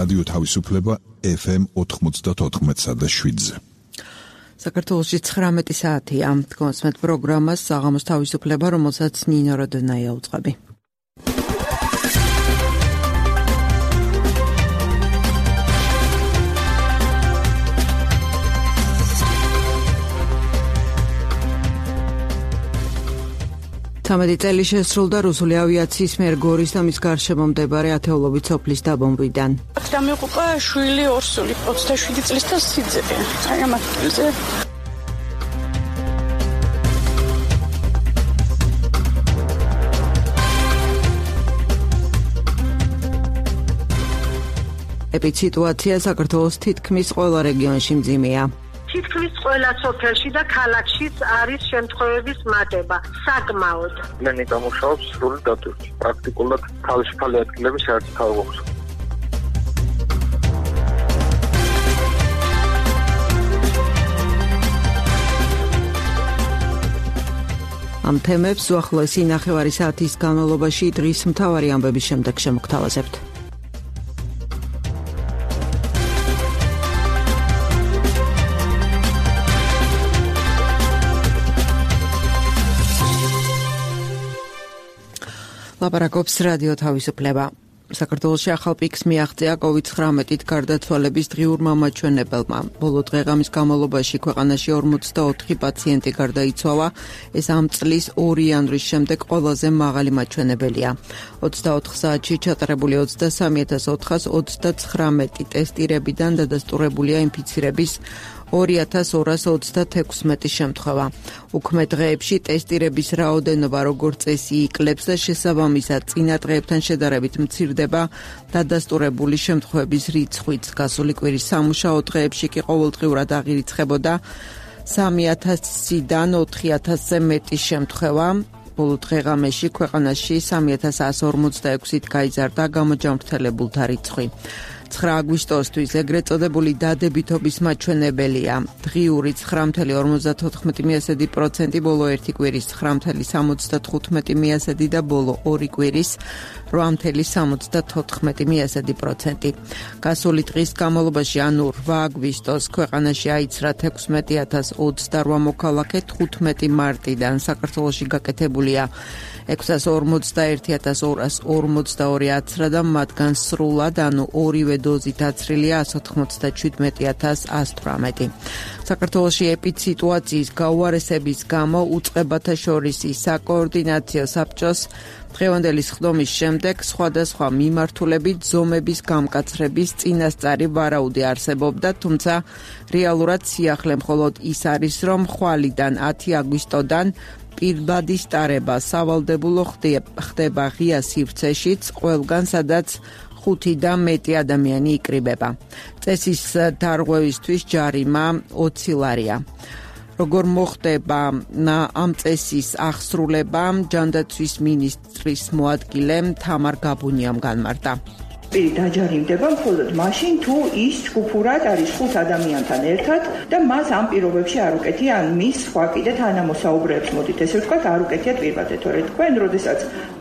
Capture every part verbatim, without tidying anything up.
რადიო თავისუფლება ეფ ემ ოთხმოცდაოთხ და შვიდზე. საქართველოში ცხრამეტი საათია. გონსმეთ პროგრამას საღამოს თავისუფლება, რომელსაც ნინო როდონაია უწყები. თამეტი წელი შესრულდა რუსული ავიაციის მიერ გორის და მის გარშემო მდებარე ათეულობით სოფლის დაბომბვიდან. დამეყუპა შვილი ორსული ოცდაშვიდი წლის და სიძე. აი ამ ადგილზე. ეპიციტუაცია საქართველოს თითქმის ყველა რეგიონში მძიმეა. თითქმის ყველა სოფელში და ქალაქშიც არის შემთხვევების მატება, საკმაოდ. მენი გამუშავებს სრული დატვირთვით. პრაქტიკულად თავისუფალი ადგილები საერთოდ არ გვაქვს. ამ თემებს უახლოესი ნახევარი საათის განმავლობაში დღის მთავარი ამბების შემდეგ შემოგთავაზებთ. ლაპარაკობს რადიო თავისუფლება. საქართველოში ახალ პიკს მიაღწია კოვიდ ცხრამეტით გარდაცვალების დღიურმა მაჩვენებელმა. ბოლო დღე-ღამის განმავლობაში ქვეყანაში ორმოცდაოთხი პაციენტი გარდაიცვალა. ეს ამ წლის ორი იანვრის შემდეგ ყველაზე მაღალი მაჩვენებელია. ოცდაოთხ საათში ჩატარებული ოცდასამი ათას ოთხას ოცდაცხრამეტი ტესტირებიდან დადასტურებულია ინფიცირების ორი ათას ორას ოცდათექვსმეტი შემთხვევა. უქმე დღეებში ტესტირების რაოდენობა როგორც წესი იკლებს და შესაბამისად წინა დღეებთან შედარებით მცირდება დადასტურებული შემთხვევების რიცხვიც. გასული კვირის სამუშაო დღეებში კი ყოველდღიურად აღირიცხებოდა სამი ათასიდან ოთხი ათასზე მეტი შემთხვევა. ბოლო დღე-ღამეში ქვეყანაში სამი ათას ასი ორმოცდაექვსით გაიზარდა გამოჯანმრთელებულთა რიცხვი. ცხრა აგვისტოსთვის ეგრეთ წოდებული დადებითობის მაჩვენებელია. დღიური ცხრა ათეული ორმოცდათოთხმეტი პროცენტი, ბოლო ერთი კვირის ცხრა ათეული სამოცდათხუთმეტი და ბოლო ორი კვირის რვა ათეული სამოცდათოთხმეტი პროცენტი. გასული დღის განმავლობაში, ანუ რვა აგვისტოს, ქვეყანაში აიცრა თექვსმეტი ათას ოცდარვა მოქალაქე, თხუთმეტი მარტიდან საქართველოში გაკეთებულია ექვსას ორმოცდაერთი ათას ორას ორმოცდაორი აცრა და მათგან სრულად, ანუ ორივე დოზით აცრილია ასი ოცდაჩვიდმეტი ათას ასი თვრამეტი. საქართველოში ეპიციტუაციის გაუარესების გამო უწყებათა შორის საკოორდინაციო საბჭოს დღევანდელი სხდომის შემდეგ სხვადასხვა მიმართულებით ზომების გამკაცრების წინასწარი ვარაუდი არსებობდა, თუმცა რეალურად სიახლე მხოლოდ ის არის, რომ ხვალიდან ათი აგვისტოდან პირბადის ტარება სავალდებულო ხდება ღია სივრცეშიც, ყველგან სადაც ხუთი და მეტი ადამიანი იკრიბება. წესის დარღვევისთვის ჯარიმა ოცი ლარია. როგორ მოხდება ამ წესის აღსრულება, ჯანდაცვის მინისტრის მოადგილე თამარ გაბუნიამ განმარტა. დაჯარიმდება მხოლოდ მაშინ, თუ ის ჯგუფურად არის ხუთ ადამიანთან ერთად და მას ამ პირობებში არ უკეთია, ან მის სხვა კიდე თანამოსაუბრეებს, მოდით ესე ვთქვათ, არ უკეთია პირბადე, თორე თქვენ, როდესაც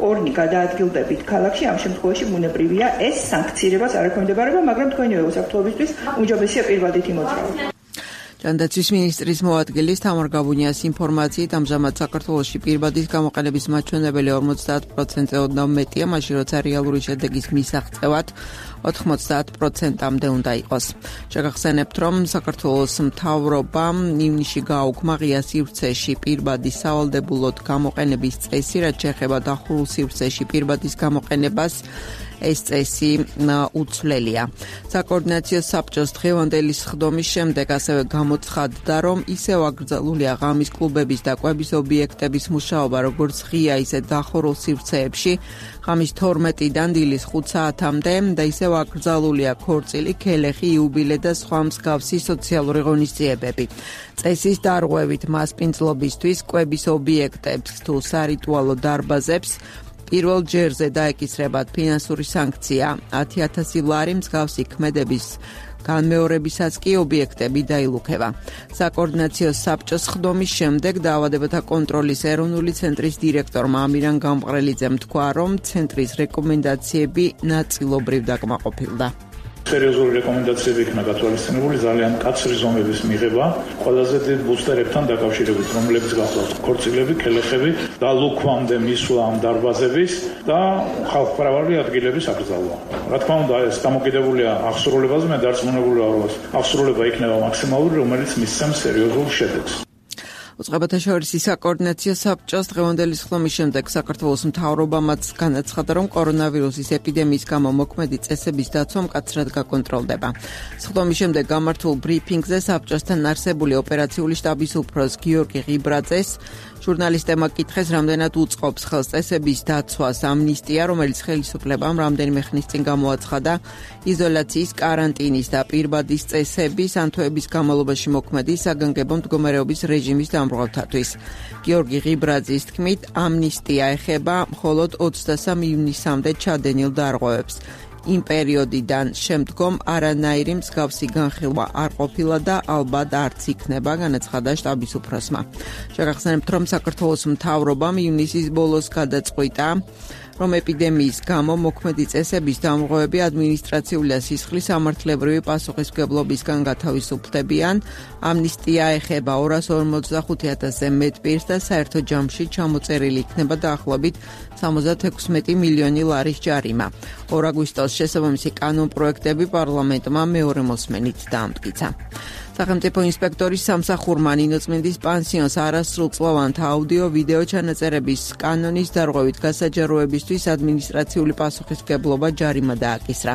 ორნი გადაადგილდებით ქალაქში, ამ შემთხვევაში ბუნებრივია ეს სანქცირებას არ ექვემდებარება, მაგრამ თქვენივე უსაფრთხოებისთვის უმჯობესია პირბადით იმოძრაოთ. ჯანდაცვის მინისტრის მოადგილის თამარ გაბუნიას ინფორმაციით, ამჟამად საქართველოში პირბადის გამოყენების მაჩვენებელი ორმოცდაათ პროცენტზე ოდნავ მეტია, მაშინ როცა რეალური შედეგის მისაღწევად ოთხმოცდაათ პროცენტამდე უნდა იყოს. შეგახსენებთ, რომ საქართველოს მთავრობამ ივნისში გააუქმა ღია სივრცეში პირბადის სავალდებულოდ გამოყენების წესი, რაც შეეხება დახურულ სივრცეში პირბადის გამოყენებას. ეს წესი უცვლელია. საკოორდინაციო საბჭოს დღევანდელი სხდომის შემდეგ ასევე გამოცხადდა, რომ ისევ აკრძალულია ღამის კლუბების და კვების ობიექტების მუშაობა, როგორც ღია, ისე დახურულ სივრცეებში, ღამის თორმეტიდან დილის ხუთ საათამდე და ისევ აკრძალულია ქორწილი, ქელეხი, იუბილე და სხვა მსგავსი სოციალური ღონისძიებები. წესის დარღვევით მასპინძლობისთვის კვების ობიექტებს თუ სარიტუალო დარბაზებს პირველ ჯერზე დაეკისრებათ ფინანსური სანქცია ათი ათასი ლარი, მსგავსი ქმედების განმეორებისაც კი ობიექტები დაილუქება. საკოორდინაციო საბჭოს სხდომის შემდეგ დაავადებათა კონტროლის ეროვნული ცენტრის დირექტორმა ამირან გამყრელიძემ თქვა, რომ ცენტრის რეკომენდაციები ნაწილობრივ დაკმაყოფილდა. სერიოზული რეკომენდაციები იქნა გათვალისწინებული ძალიან მკაცრი ზომების მიღება ყველაზე დიდ ბუსტერებთან დაკავშირებით, რომლებიც გახლავთ ქორწილები, ქელეხები და ლუქვამდე მისვლა ამ დარბაზების და ხალხმრავალი ადგილების აკრძალვა. რა თქმა უნდა, ეს დამოკიდებულია აღსრულებაზე, მე დარწმუნებული ვარ, რომ აღსრულება იქნება მაქსიმალური, რომელიც მისცემს სერიოზულ შედეგს. უწყებათა შორის საკოორდინაციო საბჭოს დღევანდელი სხდომის შემდეგ საქართველოს მთავრობამაც განაცხადა, რომ კორონავირუსის ეპიდემიის გამო მოქმედი წესების დაცვა მკაცრად გაკონტროლდება. სხდომის შემდეგ გამართულ ბრიფინგზე საბჭოსთან არსებული ოპერაციული შტაბის უფროს გიორგი ღიბრაძეს ჟურნალისტებმა კითხეს, რამდენად უწყობს ხელს წესების დაცვას ამნისტია, რომელიც ხელისუფლებამ რამდენიმე ხნის წინ გამოაცხადა იზოლაციის, კარანტინის და პირბადის წესების ან თვეების განმავლობაში მოქმედი საგანგებო მდგომარეობის რეჟიმის დამრღვევთათვის. გიორგი ღიბრაძის თქმით, ამნისტია ეხება მხოლოდ ოცდასამი ივნისამდე ჩადენილ დარღვევებს. იმ პერიოდიდან შემდგომ არანაირი მსგავსი განხილვა არ ყოფილა და ალბათ არც იქნება, განაცხადა შტაბის უფროსმა. შეგახსენებთ, რომ საქართველოს მთავრობამ ივნისის ბოლოს გადაწყვიტა, რომ ეპიდემიის გამო მოქმედი წესების დამღოები ადმინისტრაციული და სისხლის სამართლებრივი პასუხისმგებლობისგან გათავისუფლდებიან. ამნისტია ეხება ორას ორმოცდახუთი ათასზე მეტ პირს და საერთო ჯამში ჩამოწერილი იქნება დაახლოებით სამოცდათექვსმეტი მილიონი ლარის ჯარიმა. ორ აგვისტოს შესაბამისი კანონპროექტები პარლამენტმა მეორე მოსმენით დაამტკიცა. სახელმწიფო ინსპექტორის სამსახურმა ნინოწმინდის პანსიონს არასრულწლოვანთა აუდიო-ვიდეო ჩანაწერების კანონის დარღვევით გასაჯაროებისთვის ადმინისტრაციული პასუხისმგებლობა ჯარიმა დააკისრა.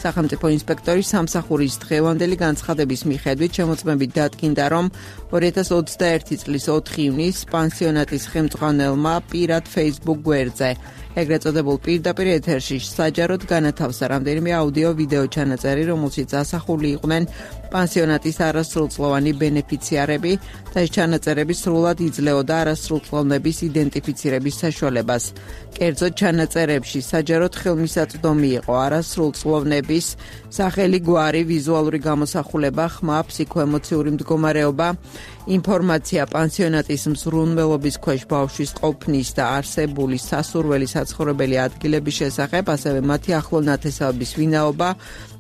სახელმწიფო ინსპექტორის სამსახურის დღევანდელი განცხადების მიხედვით შემოწმებით დადგინდა, რომ ორი ათას ოცდაერთი წლის ოთხი ივნისს პანსიონატის ხელმძღვანელმა პირად Facebook გვერდზე ეგრეთ წოდებულ პირდაპირ ეთერში საჯაროდ განათავსა რამდენიმე აუდიო-ვიდეო ჩანაწერი, რომელშიც ასახული იყვნენ პანსიონატის არასრულწლოვანი ბენეფიციარები და ეს ჩანაწერები სრულად იძლეოდა არასრულწლოვნების იდენტიფიცირების საშუალებას. კერძოდ ჩანაწერებში საჯაროდ ხელმისაწვდომი იყო არასრულწლოვნების სახელი, გვარი, ვიზუალური გამოსახულება, ხმა, ფსიქოემოციური მდგომარეობა, ინფორმაცია პანსიონატის მზრუნველობის ქვეშ ბავშვის ყოფნის და არსებული სასურველი საცხოვრებელი ადგილების შესახებ, ასევე მათი ახლო ნათესავების ვინაობა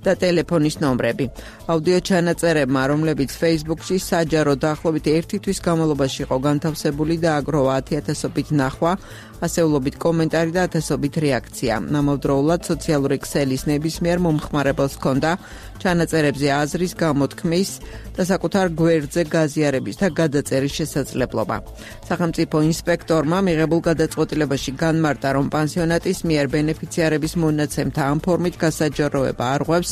და ტელეფონის ნომრები. აუდიო ჩანაწერებმა, რომლებიც Facebook-ში საჯარო დაახლოებით ერთი თვის განმავლობაში იყო განთავსებული და აგროვა ათი ათასობით ნახვა, ასეულობით კომენტარი და ათასობით რეაქცია. ამავდროულად სოციალური ქსელის ნებისმიერ მომხმარებელს ჰქონდა ჩანაწერებზე აზრის გამოთქმის და საკუთარ გვერდზე გაზიარების და გადაწერის შესაძლებლობა. სახელმწიფო ინსპექტორმა მიღებულ გადაწყვეტილებაში განმარტა, რომ პანსიონატის მიერ ბენეფიციარების მონაცემთა ამ ფორმით გასაჯაროება არღვევს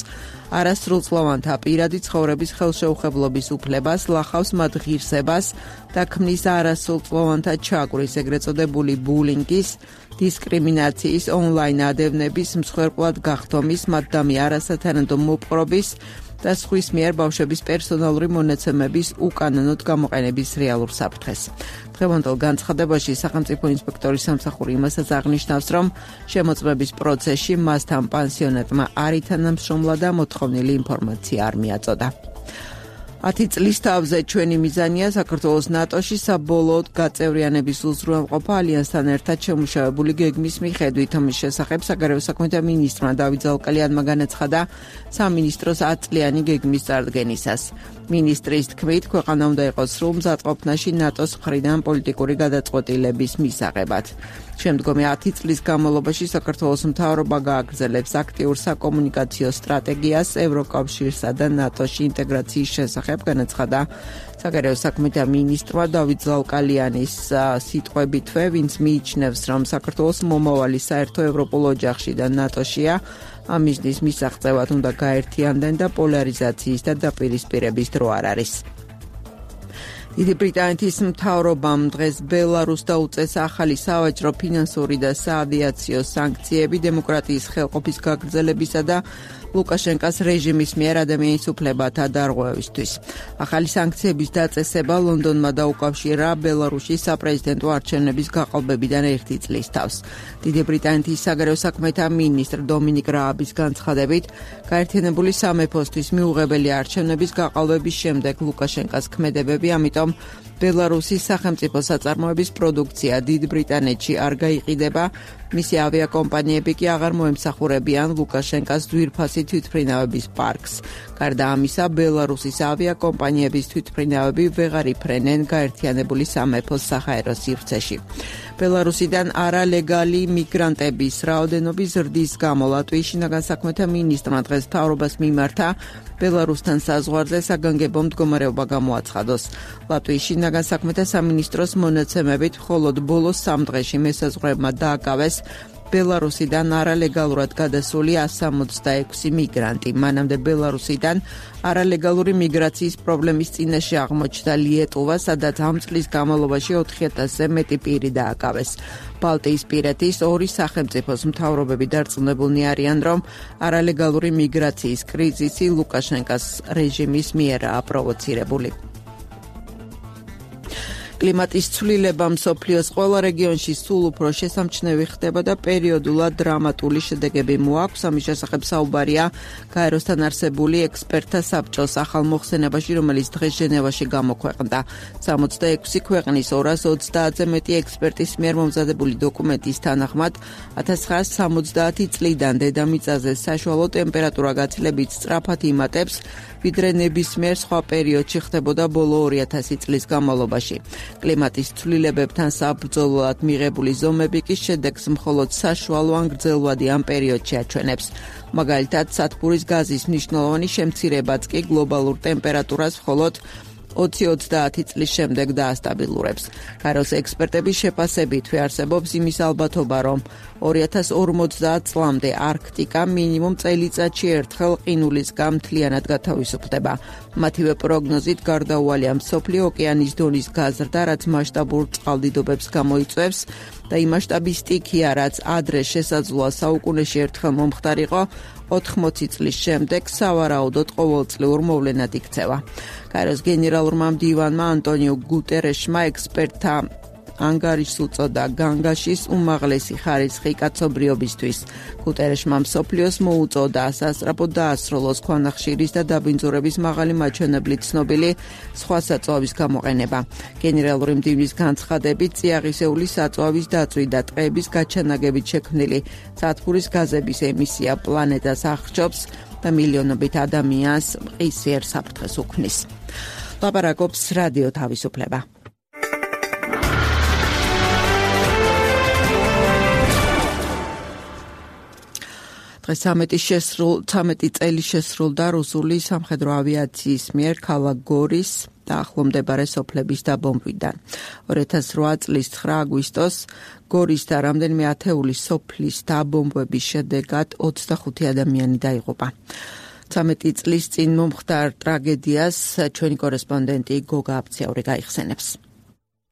არასრულწლოვანთა პირადი ცხოვრების ხელშეუხებლობის უფლებას, ლახავს მათ ღირსებას და ქმნის არასრულწლოვანთა ჩაგვრის, ეგრეთ წოდებული ბულინგის, დისკრიმინაციის, ონლაინ ადევნების, მსხვერპლად გახდომის, მათდამი არასათანადო მოპყრობის და სხვის მიერ ბავშვების პერსონალური მონაცემების უკანონოდ გამოყენების რეალურ საფრთხეს. დღევანდელ განცხადებაში სახელმწიფო ინსპექტორის სამსახური იმასაც აღნიშნავს, რომ შემოწმების პროცესში მასთან პანსიონატმა არ ითანამშრომლა და მოთხოვნილი ინფორმაცია არ მიაწოდა. ათი წლის თავზე ჩვენი მიზანია საქართველოს ნატოში საბოლოოდ გაწევრიანების უზრუნველყოფა ალიანსთან ერთად შემუშავებული გეგმის მიხედვით. ამის შესახებ საგარეო საქმეთა მინისტრმა დავით ზალკალიანმა განაცხადა სამინისტროს ათწლიანი გეგმის წარდგენისას. მინისტრის თქმით, ქვეყანა უნდა იყოს სრულ მზადყოფნაში ნატოს მხრიდან პოლიტიკური გადაწყვეტილების მისაღებად. შემდგომი ათი წლის განმავლობაში საქართველოს მთავრობა გააგრძელებს აქტიურ საკომუნიკაციო სტრატეგიას ევროკავშირსა და ნატოში ინტეგრაციის შესახებ, განაცხადა საგარეო საქმეთა მინისტრმა დავით ზალკალიანის სიტყვებითვე, ვინც მიიჩნევს, რომ საქართველოს მომავალი საერთო ევროპულ ოჯახში და ნატოშია, ამ მიზნის მისაღწევად უნდა გაერთიანდნენ და პოლარიზაციის და დაპირისპირების დრო არ არის. დიდი ბრიტანეთის მთავრობამ დღეს ბელარუსს დაუწეს ახალი სავაჭრო, ფინანსური და საავიაციო სანქციები დემოკრატიის ხელყოფის გაგრძელებისა და ლუკაშენკას რეჟიმის მიერ ადამიანის უფლებათა დარღვევისთვის. ახალი სანქციების დაწესება ლონდონმა დაუკავშირა ბელარუსის საპრეზიდენტო არჩევნების გაყალბებიდან ერთი წლის თავს. დიდი ბრიტანეთის საგარეო საქმეთა მინისტრ დომინიკ რააბის განცხადებით, გაერთიანებული სამეფოსთვის მიუღებელი არჩევნების გაყალბების შემდეგ ლუკაშენკას ქმედებები, ამიტომ ბელარუსის სახელმწიფო საწარმოების პროდუქცია დიდ ბრიტანეთში არ გაიყიდება, მისი ავიაკომპანიები კი აღარ მოემსახურებიან ლუკაშენკას ძვირფასი თვითმფრინავების პარკს. გარდა ამისა, ბელარუსის ავიაკომპანიების თვითმფრინავები ვეღარ იფრენენ გაერთიანებული სამეფოს საჰაერო სივრცეში. ბელარუსიდან არალეგალი მიგრანტების რაოდენობის ზრდის გამო ლატვიის შინაგან საქმეთა მინისტრმა დღეს მთავრობას მიმართა ბელარუსთან საზღვარზე საგანგებო მდგომარეობა გამოაცხადოს. ლატვიის შინაგან საქმეთა სამინისტროს მონაცემებით მხოლოდ ბოლოს სამ დღეში მესაზღვრეებმა დააკავეს ბელარუსიდან არალეგალურად გადასული ასი სამოცდაექვსი მიგრანტი. მანამდე ბელარუსიდან არალეგალური მიგრაციის პრობლემის წინაშე აღმოჩნდა ლიეტუვა, სადაც ამ წლის განმავლობაში ოთხი ათასზე მეტი პირი დააკავეს. ბალტიისპირეთის ორი სახელმწიფოს მთავრობები დარწმუნებულნი არიან, რომ არალეგალური მიგრაციის კრიზისი ლუკაშენკას რეჟიმის მიერაა პროვოცირებული. კლიმატის ცვლილება მსოფლიოს ყველა რეგიონში სულ უფრო შესამჩნევი ხდება და პერიოდულად დრამატული შედეგები მოაქვს. ამის შესახებ საუბარია გაეროსთან არსებული ექსპერტთა საბჭოს ახალ მოხსენებაში, რომელიც დღეს ჟენევაში გამოქვეყნდა. სამოცდაექვსი ქვეყნის ორას ოცდაათზე მეტი ექსპერტის მიერ მომზადებული დოკუმენტის თანახმად ათას ცხრაასი სამოცდაათი წლიდან დედამიწაზე საშუალო ტემპერატურა გაცილებით სწრაფად იმატებს, ვიდრე ნებისმიერ სხვა პერიოდში ხდებოდა ბოლო ორი ათასი წლის განმავლობაში. კლიმატის ცვლილებებთან საბრძოლოდ მიღებული ზომები კი შედეგს მხოლოდ საშუალო ან გრძელვადი ამ პერიოდში აჩვენებს. მაგალითად, სათბურის გაზის მნიშვნელოვანი შემცირებაც კი გლობალურ ტემპერატურას მხოლოდ ოცი ოცდაათი წლის შემდეგ დაასტაბილურებს. გაეროს ექსპერტების შეფასებით არსებობს იმის ალბათობა, რომ ორი ათას ორმოცდაათ წლამდე არქტიკა მინიმუმ წელიწადში ერთხელ ყინულისგან მთლიანად გათავისუფლდება. მათივე პროგნოზით გარდაუვალია მსოფლიო ოკეანის დონის გაზრდა, რაც მასშტაბურ წყალდიდობებს გამოიწვევს და იმ მასშტაბის სტიქია, რაც ადრე შესაძლოა საუკუნეში ერთხელ მომხდარიყო, ოთხმოცი წლის შემდეგ სავარაუდოდ ყოველწლიურ მოვლენად იქცევა. გაეროს გენერალურმა მდივანმა ანტონიო გუტერეშმა ექსპერტთა ანგარიშს უწოდა განგაშის უმაღლესი ხარისხი კაცობრიობისთვის. გუტერეშმა მსოფლიოს მოუწოდა სასწრაფოდ დაასრულოს ქვანახშირის და დაბინძურების მაღალი მაჩვენებლით ცნობილი სხვა საწვავის გამოყენება. გენერალური მდივნის განცხადებით, წიაღისეული საწვავის დაწვი და ტყეების გაჩანაგებით შექმნილი სათბურის გაზების ემისია პლანეტას აღრჩობს და მილიონობით ადამიანს მყისიერ საფრთხეს უქმნის. ლაპარაკობს რადიო თავისუფლება. დღეს ცამეტი წელი შესრულდა რუსული სამხედრო ავიაციის მიერ ქალაქ გორის და ახლომდებარე სოფლების დაბომბვიდან. ორი ათას რვა წლის ცხრა აგვისტოს გორის და რამდენიმე ათეული სოფლის დაბომბვების შედეგად ოცდახუთი ადამიანი დაიღუპა. ცამეტი წლის წინ მომხდარ ტრაგედიას ჩვენი კორესპონდენტი გოგა აფციაური გაიხსენებს.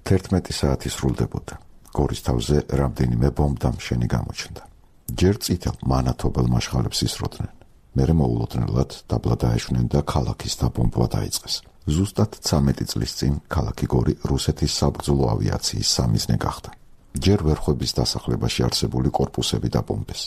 თერთმეტი საათი სრულდებოდა. გორის თავზე რამდენიმე ბომბდამშენი გამოჩნდა. ჯერ წითელ მანათობელ მაშხალებს ისროდნენ. მერე მოულოდნელად დაბლა დაეშვნენ და ქალაქის დაბომბვა დაიწყეს. ზუსტად ცამეტი წლის წინ ქალაქი გორი რუსეთის საბრძოლო ავიაციის სამიზნე გახდა. ჯერ ვერხვების დასახლებაში არსებული კორპუსები დაბომბეს.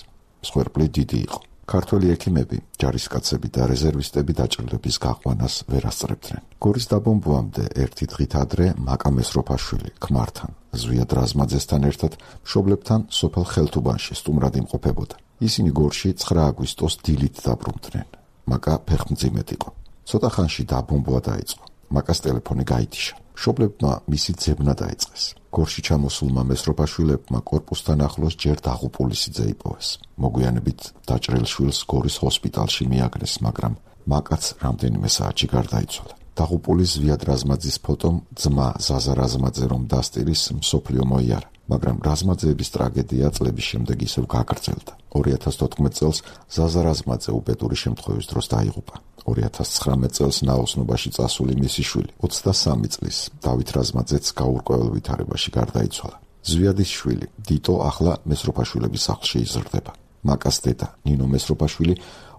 მსხვერპლი დიდი იყო. ქართველი ექიმები, ჯარისკაცები და რეზერვისტები დაჭრილების გაყვანას ვერ ასწრებდნენ. გორის დაბომბვამდე ერთი დღით ადრე მაკა მესროფაშვილი ქმართან, ზვიად რაზმაძესთან ერთად მშობლებთან სოფელ ხელთუბანში სტუმრად იმყოფებოდა. ისინი გორში ცხრა აგვისტოს დილით დაბრუნდნენ. მაკა ფეხმძიმედ იყო. ცოტა ხანში დაბომბვა დაიწყო. მაკას ტელეფონი გაითიშა. მშობლებმა მისი ძებნა დაიწყეს. გორში ჩამოსულმა მესროფაშვილებმა კორპუსთან ახლოს ჯერ დაღუპული სიძე იპოვეს. მოგვიანებით დაჭრილ შვილს გორის ჰოსპიტალში მიაგნეს, მაგრამ მაკაც რამდენიმე საათში გარდაიცვალა. დაღუპული ზვიად რაზმაძის ფოტომ ძმა ზაზა რაზმაძე რომ დასტირის მსოფლიო მოიარა, მაგრამ რაზმაძეების ტრაგედია წლების შემდეგ ისევ გაგრძელდა. ორი ათას თოთხმეტ წელს ზაზა რაზმაძე უბედური შემთხვევის დროს დაიღუპა. ორი ათას ცხრამეტ წელს ნაოსნობაში წასული მისი შვილი ოცდასამი წლის დავით რაზმაძეც გაურკვეველ ვითარებაში გარდაიცვალა. ზვიადის შვილი დიტო ახლა მესროფაშვილების სახლში იზრდება. მაკას დედა ნინო მესროფაშვილი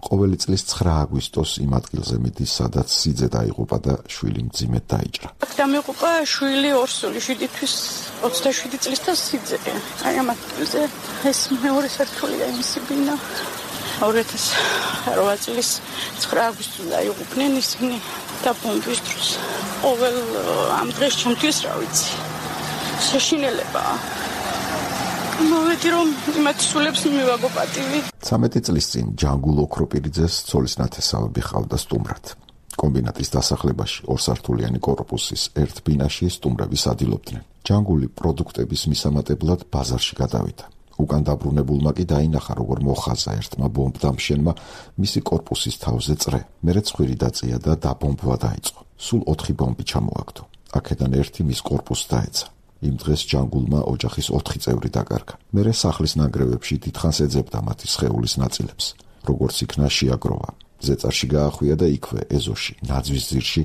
ყოველი წლის ცხრა აგვისტოს იმ ადგილზე მიდის, სადაც სიძე დაიღუპა და შვილი მძიმედ დაიჭრა. დამიღუპა შვილი ორსული, შვიდი თვის ოცდაშვიდი წლის და სიძე. აი ამ ადგილზე ეს მეორე სართულია იმისი ბინა. ორი ათას რვა წლის ცხრა აგვისტოს დაიღუპნენ ისინი დაბომბვის დროს. ყოველ ამ დღეს ჩემთვის რა ვიცი, შეშინელებაა. მოვედი რომ იმათ სულებს მივაგო პატივი. ცამეტი წლის წინ ჯანგულ ოქროპირიძეს ცოლის ნათესავები ჰყავდა სტუმრად. კომბინატის დასახლებაში ორსართულიანი კორპუსის ერთ ბინაში სტუმრები სადილობდნენ. ჯანგული პროდუქტების მისამატებლად ბაზარში გადავიდა. უკან დაბრუნებულმა კი დაინახა, როგორ მოხაზა ერთმა ბომბდამშენმა მისი კორპუსის თავზე წრე. მერე ცხვირი დაწია და დაბომბვა დაიწყო. სულ ოთხი ბომბი ჩამოაგდო. აქედან ერთი მის კორპუსს დაეცა. იმ დღეს ჯანგულმა ოჯახის ოთხი წევრი დაკარგა. მერე სახლის ნანგრევებში დიდხანს ეძებდა მათი სხეულის ნაწილებს. როგორც იქნა შეაგროვა. ზეწარში გაახვია და იქვე ეზოში, ნაძვის ძირში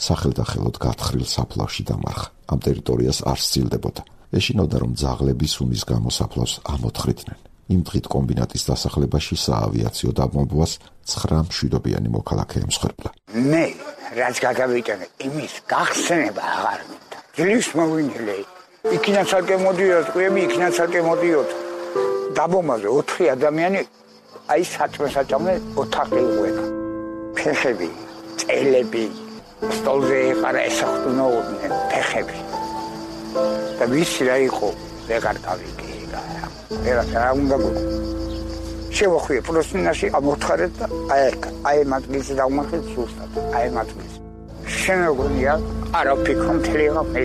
სახელდახელოდ გათხრილ საფლავში დამარხა. ამ ტერიტორიას არ სცილდებოდა. ეშინოდა, რომ ძაღლები სუნის გამო საფლავს ამოთხრიდნენ. იმ დღით კომბინატის დასახლებაში საავიაციო დაბომბვას ცხრა მშვიდობიანი მოქალაქე ემსხვერპლა. მე რაც გადავიტანე, იმის გახსენება აღარ მინდა. ძლივს მოვინილე. იქიდან ცალკე მოდიოდა, ტყვიები იქიდან ცალკე მოდიოდა. დაბომბაზე ოთხი ადამიანი აი საწმე-საწამე ოთახი იყვება. ფეხები, წელები, სტოლზე ეყარა ესახტუნოდნენ ფეხები. და ვიცი რა იყო, ვეღარ გავიგე რა. ვერა რა უნდა გქონდა. შევახვიე პროსტინაში ამოთხარეთ და აი აი მატგილზე დავმახეთ სუსტად. აი მატგილზე. შემოგონია, არა ფიქრობ თლიღა მე.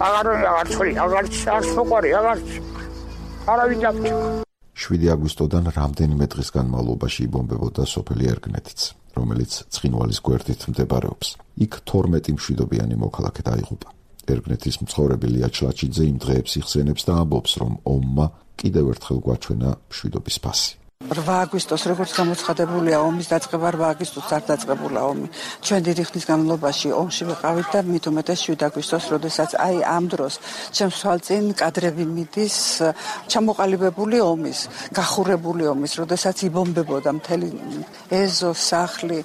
აღარ აღარ ცოლი, აღარ არ სოყარი, აღარ არავინ დაფჭა. შვიდი აგვისტოდან რამდენიმე დღის განმავლობაში იბომბებოდა სოფელი ერგნეთიც, რომელიც ცხინვალის გვერდით მდებარეობს. იქ თორმეტი მშვიდობიანი მოქალაქე დაიღუპა. ერგნეთის მცხოვრები ლია ჩლაჩიძე იმ დღეებს იხსენებს და ამბობს, რომ ომმა კიდევ ერთხელ გვაჩვენა მშვიდობის ფასი. რვა აგვისტოს როგორც გამოცხადებულია ომის დაწყება, რვა აგვისტოს არ დაწყებულა ომი. ჩვენ დიდი ხნის განმავლობაში ომში ვიყავით და მით უმეტეს შვიდ აგვისტოს, როდესაც აი ამ დროს ჩემს თვალწინ კადრები მიდის ჩამოყალიბებული ომის, გახურებული ომის, როდესაც იბომბებოდა მთელი ეზო, სახლი.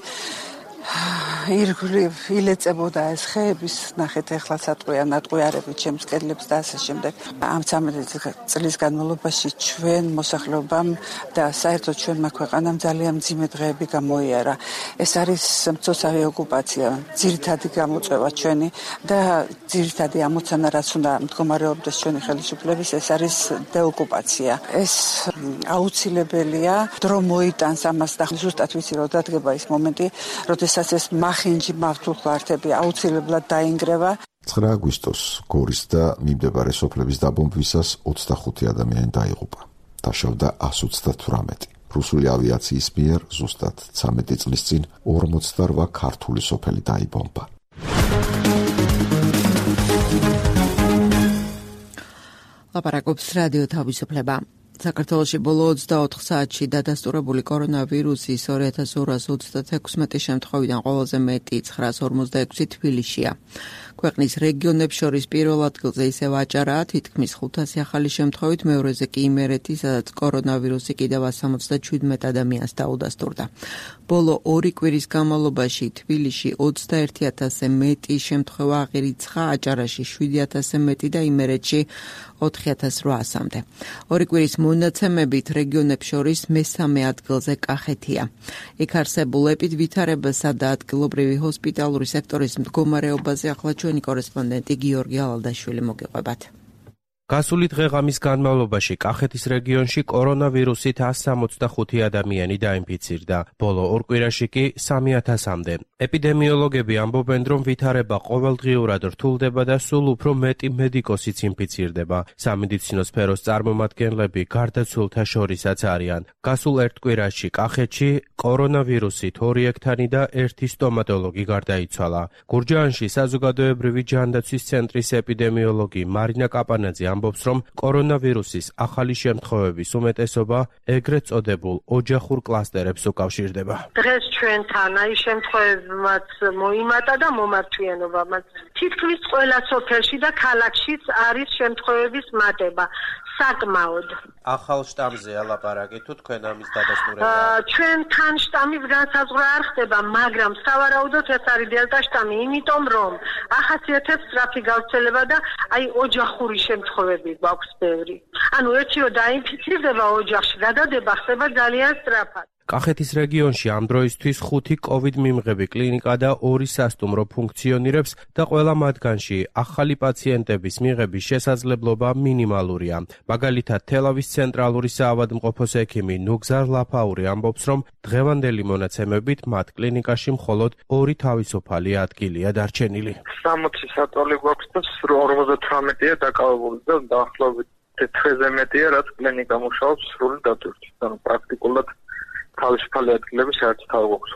ირგვლივ ილეწებოდა ეს ხეების ნახეთ ახლა სატყვია ნატყვიარებით ჩემს კედლებს და ასე შემდეგ. ამ ცამეტი წლის განმავლობაში ჩვენ მოსახლეობამ და საერთოდ ჩვენმა ქვეყანამ ძალიან მძიმე დღეები გამოიარა. ეს არის მცოცავი ოკუპაცია, ძირითადი გამოწვევა ჩვენი და ძირითადი ამოცანა, რაც უნდა მდგომარეობდეს ჩვენი ხელისუფლების, ეს არის დეოკუპაცია. ეს აუცილებელია, დრო მოიტანს ამას და ზუსტად ვიცი, რომ დადგება ის მომენტი, როდესაც ეს მახინჯი მართულხმართები აუცილებლად დაინგრევა. ცხრა აგვისტოს გორის და მიმდებარე სოფლების დაბომბვისას ოცდახუთი ადამიანი დაიღუპა. დაშავდა ათს ოცდათვრამეტი. რუსული ავიაციის მიერ ზუსტად ცამეტი წლის წინ ორმოცდარვა ქართული სოფელი დაიბომბა. ლაპარაკობს რადიო თავისუფლება. საქართველოში ბოლო ოცდაოთხ საათში დადასტურებული კორონავირუსის ორი ათას ორას ოცდათექვსმეტი შემთხვევიდან ყველაზე მეტი ცხრას ორმოცდაექვსი თბილისშია. ქვეყნის რეგიონებს შორის პირველ ადგილზე ისევ აჭარაა, თითქმის ხუთასი ახალი შემთხვევით, მეორეზე კი იმერეთი, სადაც კორონავირუსი კიდევ სამოცდაჩვიდმეტ ადამიანს დაუდასტურდა. ბოლო ორი კვირის განმავლობაში თბილისში ოცდაერთი ათასზე მეტი შემთხვევა აღირიცხა, აჭარაში შვიდი ათასზე მეტი და იმერეთში ოთხი ათას რვაასამდე. ორი კვირის მონაცემებით რეგიონებს შორის მესამე ადგილზე კახეთია. იქ არსებულ ეპიდვითარებასა და ადგილობრივი ჰოსპიტალური სექტორის მდგომარეობაზე ახლა ჩვენი კორესპონდენტი გიორგი ალალდაშვილი მოგიყვებათ. გასული დღეღამის განმავლობაში კახეთის რეგიონში კორონავირუსით ასს სამოცდახუთი ადამიანი დაინფიცირდა, ბოლო ორ კვირაში კი სამი ათასამდე. ეპიდემიოლოგები ამბობენ, რომ ვითარება ყოველდღიურად რთულდება და სულ უფრო მეტი მედიკოსიც ინფიცირდება. სამედიცინო სფეროს წარმომადგენლები გარდაცვლილთა შორისაც არიან. გასულ ერთ კვირაში კახეთში კორონავირუსით ორი ექთანი და ერთი სტომატოლოგი გარდაიცვალა. გურჯაანში საზოგადოებრივი ჯანდაცვის ცენტრის ეპიდემიოლოგი მარინა კაპანაძე ამბობს, რომ კორონავირუსის ახალი შემთხვევების უმეტესობა ეგრეთ წოდებულ ოჯახურ კლასტერებს უკავშირდება. დღეს ჩვენთან აი შემთხვევებმაც მოიმატა და მომართვიანობამაც. თითქმის ყველა სოფელში და ქალაქშიც არის შემთხვევების მატება. საკმაოდ. ახალ შტამზე ალაპარაკი თუ თქვენ ამის დადასტურება? ჩვენთან შტამის განსაზღვრა არ ხდება, მაგრამ სავარაუდოდ ეს არის დელტა შტამი, იმიტომ რომ ახასიათებს სწრაფი გავრცელება და აი ოჯახური შემთხვევები გვაქვს ბევრი. ანუ ერთიო დაინფიცირდება ოჯახში, გადადება ხდება ძალიან სწრაფად. კახეთის რეგიონში ამ დროისთვის ხუთი კოვიდ მიმღები კლინიკა და ორი სასტუმრო ფუნქციონირებს და ყველა მათგანში ახალი პაციენტების მიღების შესაძლებლობა მინიმალურია. მაგალითად, თელავის ცენტრალური საავადმყოფოს ექიმი ნუგზარ ლაფაური ამბობს, რომ დღევანდელი მონაცემებით მათ კლინიკაში მხოლოდ ორი თავისუფალი ადგილია დარჩენილი. სამოცი საწოლი გვაქვს და ორმოცდათვრამეტია დაკავებული და დაახლოებით თერთმეტზე მეტია, რაც კლინიკა მუშაობს სრული დატვირთვით. ანუ პრაქტიკულად თავისუფალი ადგილები საერთოდ არ გვაქვს.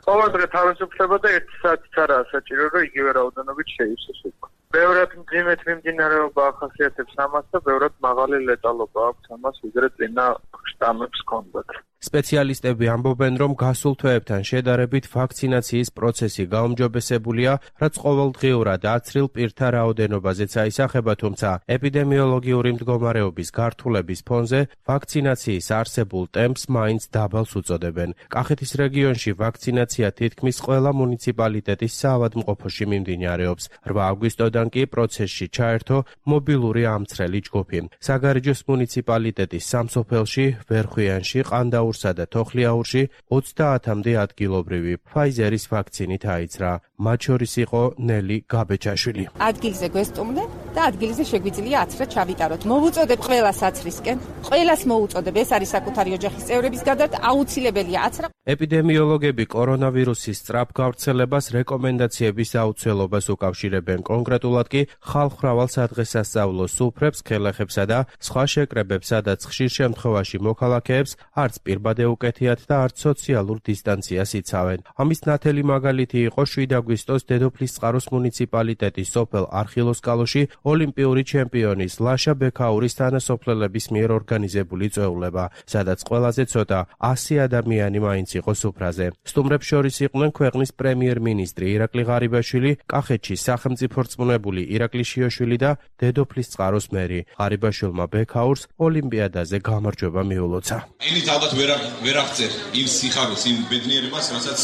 ყოველ დღე თავისუფლება და ერთი საათიც არაა საჭირო, რომ იგივე რაოდენობით შეივსოს უკვე. ბევრად მძიმედ მიმდინარეობა ახასიათებს ამას და ბევრად მაღალი ლეტალობა აქვს ამას, ვიდრე წინა შტამებს ჰქონდათ. სპეციალისტები ამბობენ, რომ გასულ თვეებთან შედარებით ვაქცინაციის პროცესი გაუმჯობესებულია, რაც ყოველდღიურად აცრილ პირთა რაოდენობაზეც აისახება, თუმცა ეპიდემიოლოგიური მდგომარეობის გართულების ფონზე ვაქცინაციის არსებულ ტემპს მაინც დაბალს უწოდებენ. კახეთის რეგიონში ვაქცინაცია თითქმის ყველა მუნიციპალიტეტის საავადმყოფოში მიმდინარეობს. რვა აგვისტოდან კი პროცესში ჩაერთო მობილური ამცრელი ჯგუფი. საგარეჯოს მუნიციპალიტეტის სამსოფელში, ვერხვიანში, ყანდაურ და თოხლიაურში ოცდაათამდე ადგილობრივი ფაიზერის ვაქცინით აიცრა. მათ შორის იყო ნელი გაბეჩაშვილი. ადგილზე გვესტუმრეთ და ადგილზე შეგვიძლია აცრა ჩავიტაროთ. მოვუწოდებ ყველას აცრისკენ. ყველას მოუწოდებ, ეს არის საკუთარი ოჯახის წევრების გადართ აუცილებელია აცრა. ეპიდემიოლოგები კორონავირუსის სწრაფ გავრცელებას რეკომენდაციების აუცილებლობას უკავშირებენ. კონკრეტულად კი ხალხმრავალ სადღესასწაულო სუფრებს, ხელახებსა და სხვა შეკრებებს, სადაც ხშირ შემთხვევაში მოქალაქეებს არც პირბადე უკეთიათ და არც სოციალურ დისტანციას იცავენ. ამის ნათელი მაგალითი იყო შვიდ აგვისტოს დედოფლისწყაროს მუნიციპალიტეტის სოფელ არხილოსკალოში ოლიმპიური ჩემპიონის ლაშა ბექაურის თანასოფლელების მიერ ორგანიზებული წვეულება, სადაც ყველაზე ცოტა ასი ადამიანი მაინც იყო სუფრაზე. სტუმრებს შორის იყვნენ ქვეყნის პრემიერ-მინისტრი ირაკლი ღარიბაშვილი, კახეთში სახელმწიფო რწმუნებული ირაკლი შიოშვილი და დედოფლისწყაროს მერი. ღარიბაშვილმა ბექაურს ოლიმპიადაზე გამარჯვება მიულოცა. ინით ალბათ ვერ ვერ აღწერ იმ სიხარულს, იმ ბედნიერებას, რასაც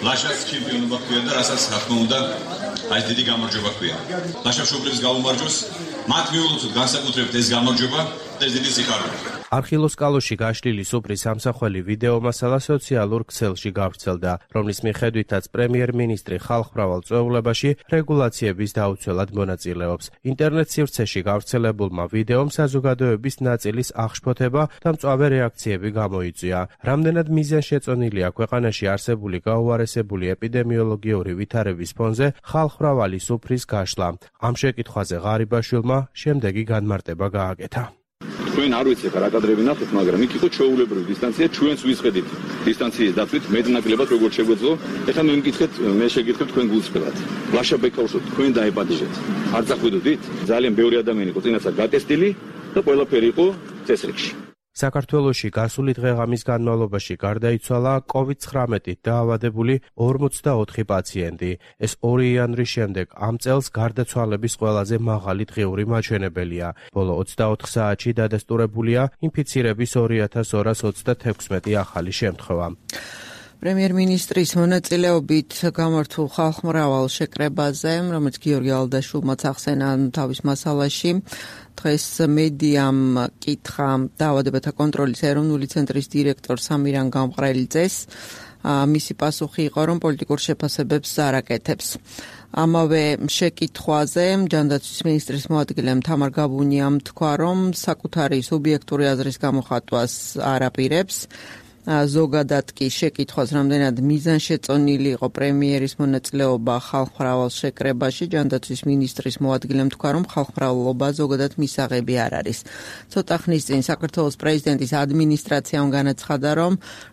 ლაშას ჩემპიონობა ჰქვია და რასაც რა თქმა უნდა აი დიდი გამარჯვება ჰქვია. ლაშა მშობლებს გაუმარჯოს, მათ მიულოცოთ განსაკუთრებით ეს გამარჯვება და ეს დიდი სიხარული. არხილოსკალოში გაშლილი სუფრის სამსახველი ვიდეო მასალა სოციალურ ქსელში გავრცელდა, რომლის მიხედვითაც პრემიერ-მინისტრი ხალხმრავალ წვეულებაში რეგულაციების დაუცველად მონაწილეობს. ინტერნეტ სივრცეში გავრცელებულმა ვიდეომ საზოგადოების ნაწილის აღშფოთება და მწვავე რეაქციები გამოიწვია. რამდენად მიზანშეწონილია ქვეყანაში არსებული გაუარესებული ეპიდემიოლოგიური ვითარების ფონზე ხალხმრავალი სუფრის გაშლა. ამ შეკითხვაზე ღარიბაშვილმა შემდეგი განმარტება გააკეთა. ჩვენ არ ვიცი ხა რა კადრები ნახეთ, მაგრამ იქ იყო ჩვეულებრივი დისტანცია, ჩვენც ვისხედით დისტანციის დაცვით მეტნაკლებად როგორ შეგვეძლო. ეხლა მე მკითხეთ, მე შეგიძლიათ თქვენ გულწრფელად. ლაშა ბექაურსო თქვენ დაებადიშეთ. არ წახვიდოდით? ძალიან ბევრი ადამიანი იყო წინასწარ გატესტილი და ყველაფერი იყო წესრიგში. საქართველოში გასული დღე-ღამის განმავლობაში გარდაიცვალა კოვიდ ცხრამეტით დაავადებული ორმოცდაოთხი პაციენტი. ეს ორი იანვრის შემდეგ ამ წელს გარდაცვალების ყველაზე მაღალი დღიური მაჩვენებელია. ბოლო ოცდაოთხ საათში დადასტურებულია ინფიცირების ორი ათას ორას ოცდათექვსმეტი ახალი შემთხვევა. პრემიერ-მინისტრის მონაწილეობით გამართულ ხალხმრავალ შეკრებაზე, რომელიც გიორგი ალდაშვილმაც ახსენა თავის მასალაში, დღეს მედიამ კითხა დაავადებათა კონტროლის ეროვნული ცენტრის დირექტორ სამირან გამყრელიძეს. მისი პასუხი იყო, რომ პოლიტიკურ შეფასებებს არ აკეთებს. ამავე შეკითხვაზე ჯანდაცვის მინისტრის მოადგილემ თამარ გაბუნიამ თქვა, რომ საკუთარი სუბიექტური აზრის გამოხატვას არ აპირებს. ზოგადად კი შეკითხვას, რამდენად მიზანშეწონილი იყო პრემიერის მონაწილეობა ხალხმრავალ შეკრებაში, ჯანდაცვის მინისტრის მოადგილემ თქვა, რომ ხალხმრავლობა ზოგადად მისაღები არ არის. ცოტა ხნის წინ საქართველოს პრეზიდენტის ადმინისტრაციამ განაცხადა, რომ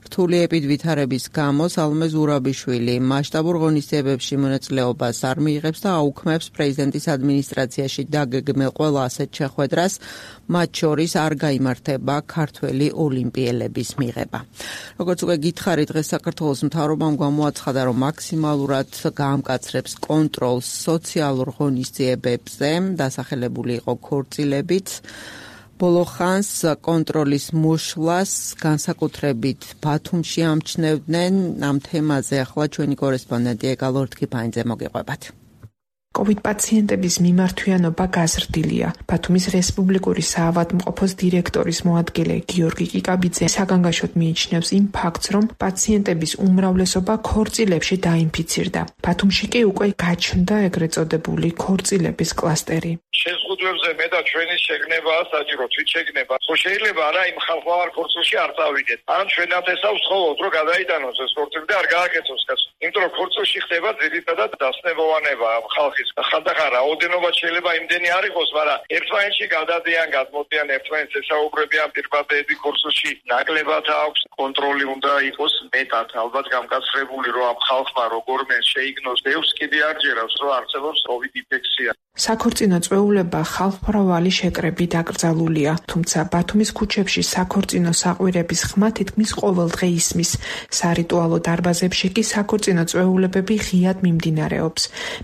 რთული ეპიდვითარების გამო სალომე ზურაბიშვილი მასშტაბურ ღონისძიებებში მონაწილეობას არ მიიღებს და აუქმებს პრეზიდენტის ადმინისტრაციაში დაგეგმილ ყველა ასეთ შეხვედრას, მათ შორის არ გაიმართება ქართველი ოლიმპიელების მიღება. როგორც უკვე გითხარით, დღეს საქართველოს მთავრობამ გამოაცხადა, რომ მაქსიმალურად გაამკაცრებს კონტროლს სოციალურ ღონისძიებებზე, დასახელებული იყო ქორწილებით. ბოლო ხანს კონტროლის მოშლას განსაკუთრებით ბათუმში ამჩნევდნენ. ამ თემაზე ახლა ჩვენი კორესპონდენტი ეკა ლორთქიფანიძე მოგიყვებათ. კოვიდ პაციენტების მიმართვიანობა გაზრდილია. ბათუმის რესპუბლიკური საავადმყოფოს დირექტორის მოადგილე გიორგი კიკაბიძე საგანგაშოდ მიიჩნევს იმ ფაქტს, რომ პაციენტების უმრავლესობა ქორწილებში დაინფიცირდა. ბათუმში კი უკვე გაჩნდა ეგრეთ წოდებული ქორწილების კლასტერი. შეზღუდვებზე მე და ჩვენი შეგნებაა საჭირო, თვით შეგნება. ხო შეიძლება არა იმ ხალხმა არ ქორწილში არ წავიდეთ. ან ჩვენად ესავს ხოლოდ რომ გადაიტანოს ეს ქორწილი და არ გააკეთოს კაცს. იმიტომ რომ ქორწილში ხდება ძირითადად დასნებოვანება ხალხის. ხანდახან რაოდენობა შეიძლება იმდენი არ იყოს, მაგრამ ერთმანეთში გადადიან, გადმოდიან, ერთმანეთს ესაუბრებიან პირბადეები ქორწილში. ნაკლებად აქვს კონტროლი უნდა იყოს მეტად, ალბათ გამკაცრებული რომ ამ ხალხმა როგორმე შეიგნოს. ბევრს კიდე არ ჯერავს რომ არსებობს კოვიდ ინფექცია. საქორწინო წვეულება ხალხმრავალი შეკრებით აკრძალულია, თუმცა ბათუმის ქუჩებში საქორწინო საყვირების ხმა თითქმის ყოველ დღე ისმის. სარიტუალო დარბაზებში კი საქორწინო წვეულებები ღიად მიმდინარეობს.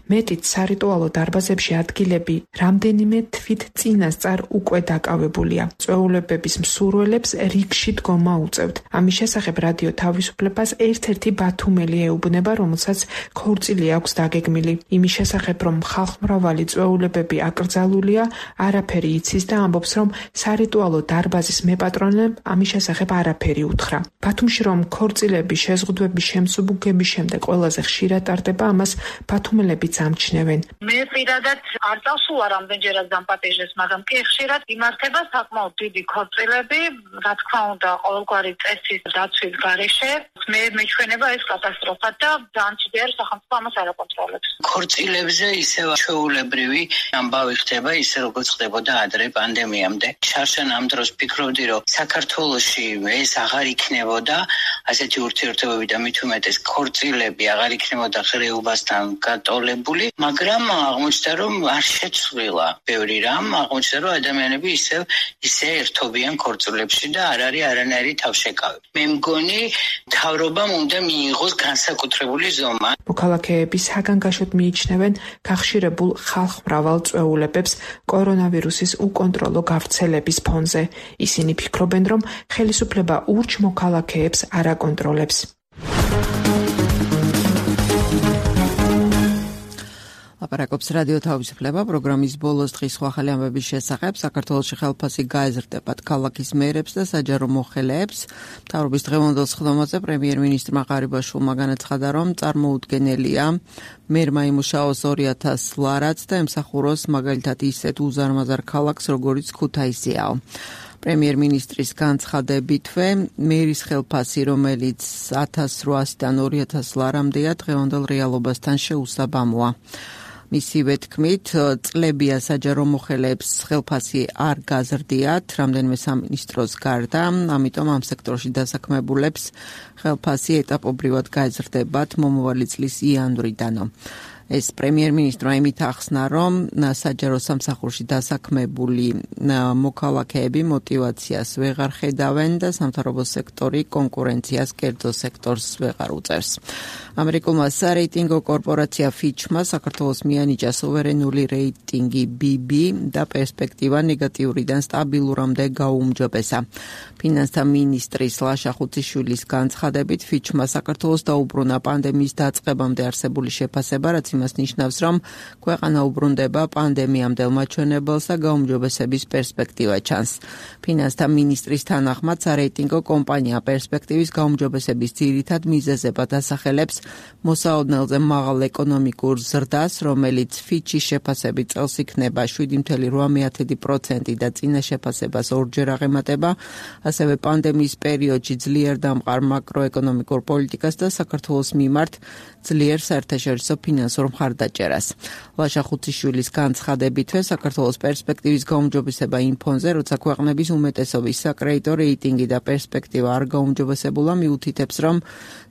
მეტიც სარიტუალო დარბაზებში ადგილები რამდენიმე თვით წინასწარ უკვე დაკავებულია. წვეულებების მსურველებს რიგში დგომა უწევთ. ამის შესახებ რადიო თავისუფლებას ერთ-ერთი ბათუმელი ეუბნება, რომელსაც ქორწილი აქვს დაგეგმილი. იმის შესახებ, რომ ხალხმრავალი წვეულებები აკრძალულია, არაფერი იცის და ამბობს, რომ სარიტუალო დარბაზის მეპატრონემ ამის შესახებ არაფერი უთხრა. ბათუმში რომ ქორწილების შეზღუდვების შემსუბუქების შემდეგ ყველაზე ხშირად ტარდება, ამას ბათუმელებიც ამჩნევენ. მე პირადად არ წავსულა რამდენჯერაც დამპატიჟეს, მაგრამ კი ხშირად იმართება საკმაოდ დიდი ქორწილები, რა თქმა უნდა, ყოველგვარი წესის დაცვის გარეშე. მე მეჩვენება ეს კატასტროფა და ძალიან ძლიერ სახელმწიფო ამას არ აკონტროლებს. ქორწილებზე ისევ ჩვეულებრივი ამბავი ხდება, ისე როგორც ხდებოდა ადრე პანდემიამდე. შარშან ამ დროს ფიქრობდი, რომ საქართველოში ეს აღარ იქნებოდა ასეთი ურთიერთობები და მით უმეტეს ქორწილები აღარ იქნებოდა ღრეობასთან გატოლებული, მაგრამ აღმოჩნდა, რომ არ შეცვლილა ბევრი რამ, აღმოჩნდა, რომ ადამიანები ისევ ისე ერთობიან ქორწილებში და არ არის არანაირი თავშეკავი. მე მგონი მთავრობამ უნდა მიიღოს განსაკუთრებული ზომა. მოქალაქეები საგანგაშოდ მიიჩნევენ გახშირებულ ხალხმრავალ წვეულებებს კორონავირუსის უკონტროლო გავრცელების ფონზე. ისინი ფიქრობენ, რომ ხელისუფლება ურჩ მოქალაქეებს არ აკონტროლებს. ლაპარაკობს რადიო თავისუფლება პროგრამის ბოლოს დღის ახალი ამბების შესახებ. საქართველოში ხელფასი გაეზრდებათ ქალაქის მერებს და საჯარო მოხელეებს. მთავრობის დღევანდელ სხდომაზე პრემიერ-მინისტრმა ღარიბაშვილმა განაცხადა, რომ წარმოუდგენელია მერმა იმუშაოს ორი ათას ლარად და ემსახუროს მაგალითად ისეთ უზარმაზარ ქალაქს, როგორიც ქუთაისიაო. პრემიერ-მინისტრის განცხადებითვე მერის ხელფასი, რომელიც ათას რვაასიდან ორი ათას ლარამდეა, დღევანდელ რეალობასთან შეუსაბამოა. მისივე თქმით, წლებია საჯარო მოხელეებს ხელფასი არ გაზრდიათ, რამდენიმე სამინისტროს გარდა, ამიტომ ამ სექტორში დასაქმებულებს ხელფასი ეტაპობრივად გაეზრდებათ მომავალი წლის იანვრიდანო. ეს პრემიერ-მინისტრმა იმით ახსნა, რომ საჯარო სამსახურში დასაქმებული მოქალაქეები მოტივაციას ვეღარ ხედავენ და სამთავრობო სექტორი კონკურენციას კერძო სექტორს ვეღარ უწევს. ამერიკულმა სარეიტინგო კორპორაცია ფიჩმა საქართველოს მიანიჭა სუვერენული რეიტინგი ბი ბი და პერსპექტივა ნეგატიურიდან სტაბილურამდე გაუმჯობესა. ფინანსთა მინისტრის ლაშა ხუციშვილის განცხადებით ფიჩმა საქართველოს დაუბრუნა პანდემიის დაწყებამდე არსებული შეფასება, რაც იმას ნიშნავს, რომ ქვეყანა უბრუნდება პანდემიამდელ მაჩვენებელს და გაუმჯობესების პერსპექტივა ჩანს. ფინანსთა მინისტრის თანახმად სარეიტინგო კომპანია პერსპექტივის გაუმჯობესების ძირითად მიზეზებად ასახელებს მოსაოდნელზე მაღალ ეკონომიკურ ზრდას, რომელიც ფიჩის შეფასებით წელს იქნება შვიდი ფاصლე რვა პროცენტი და წინა შეფასებას ორჯერ აღემატება, ასევე პანდემიის პერიოდში ძლიერ დამყარ მაკროეკონომიკურ პოლიტიკას და საქართველოს მიმართ ძლიერ საერთაშორისო ფინანსურ მხარდაჭერას. ლაშა ხუციშვილის განცხადებითვე საქართველოს პერსპექტივის გაუმჯობესება იმ ფონზე, როცა ქვეყნების უმეტესობის საკრედიტო რეიტინგი და პერსპექტივა არ გაუმჯობესებულა, მიუთითებს, რომ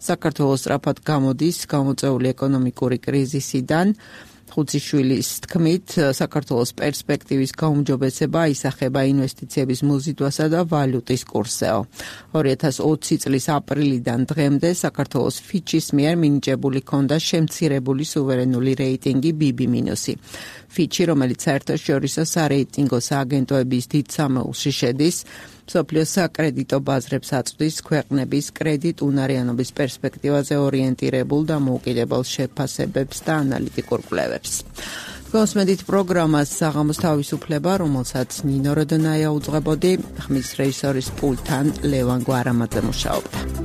საქართველოს სწრაფად გამოდის გამოწვეული ეკონომიკური კრიზისიდან. ხუციშვილის თქმით, საქართველოს პერსპექტივის გაუმჯობესება ისახება ინვესტიციების მოზიდვასა და ვალუტის კურსზეო. ორი ათას ოცი წლის აპრილიდან დღემდე საქართველოს ფიჩის მიერ მინიჭებული ჰქონდა შემცირებული სუვერენული რეიტინგი ბი ბი მინუსი. ფიჩი, რომელიც საერთაშორისო სარეიტინგო სააგენტოების დიდ სამეულში შედის, მსოფლიოს საკრედიტო ბაზრებს აწვდის ქვეყნების კრედიტუნარიანობის პერსპექტივაზე ორიენტირებულ და მოუკიდებელ შეფასებებს და ანალიტიკურ კვლევებს. გოსმედით პროგრამას საღამოს თავისუფლება, რომელსაც ნინო როდონაია უძღვებოდი, ხმის რეჟისორის პულტთან ლევან გვარამაძე მუშაობდა.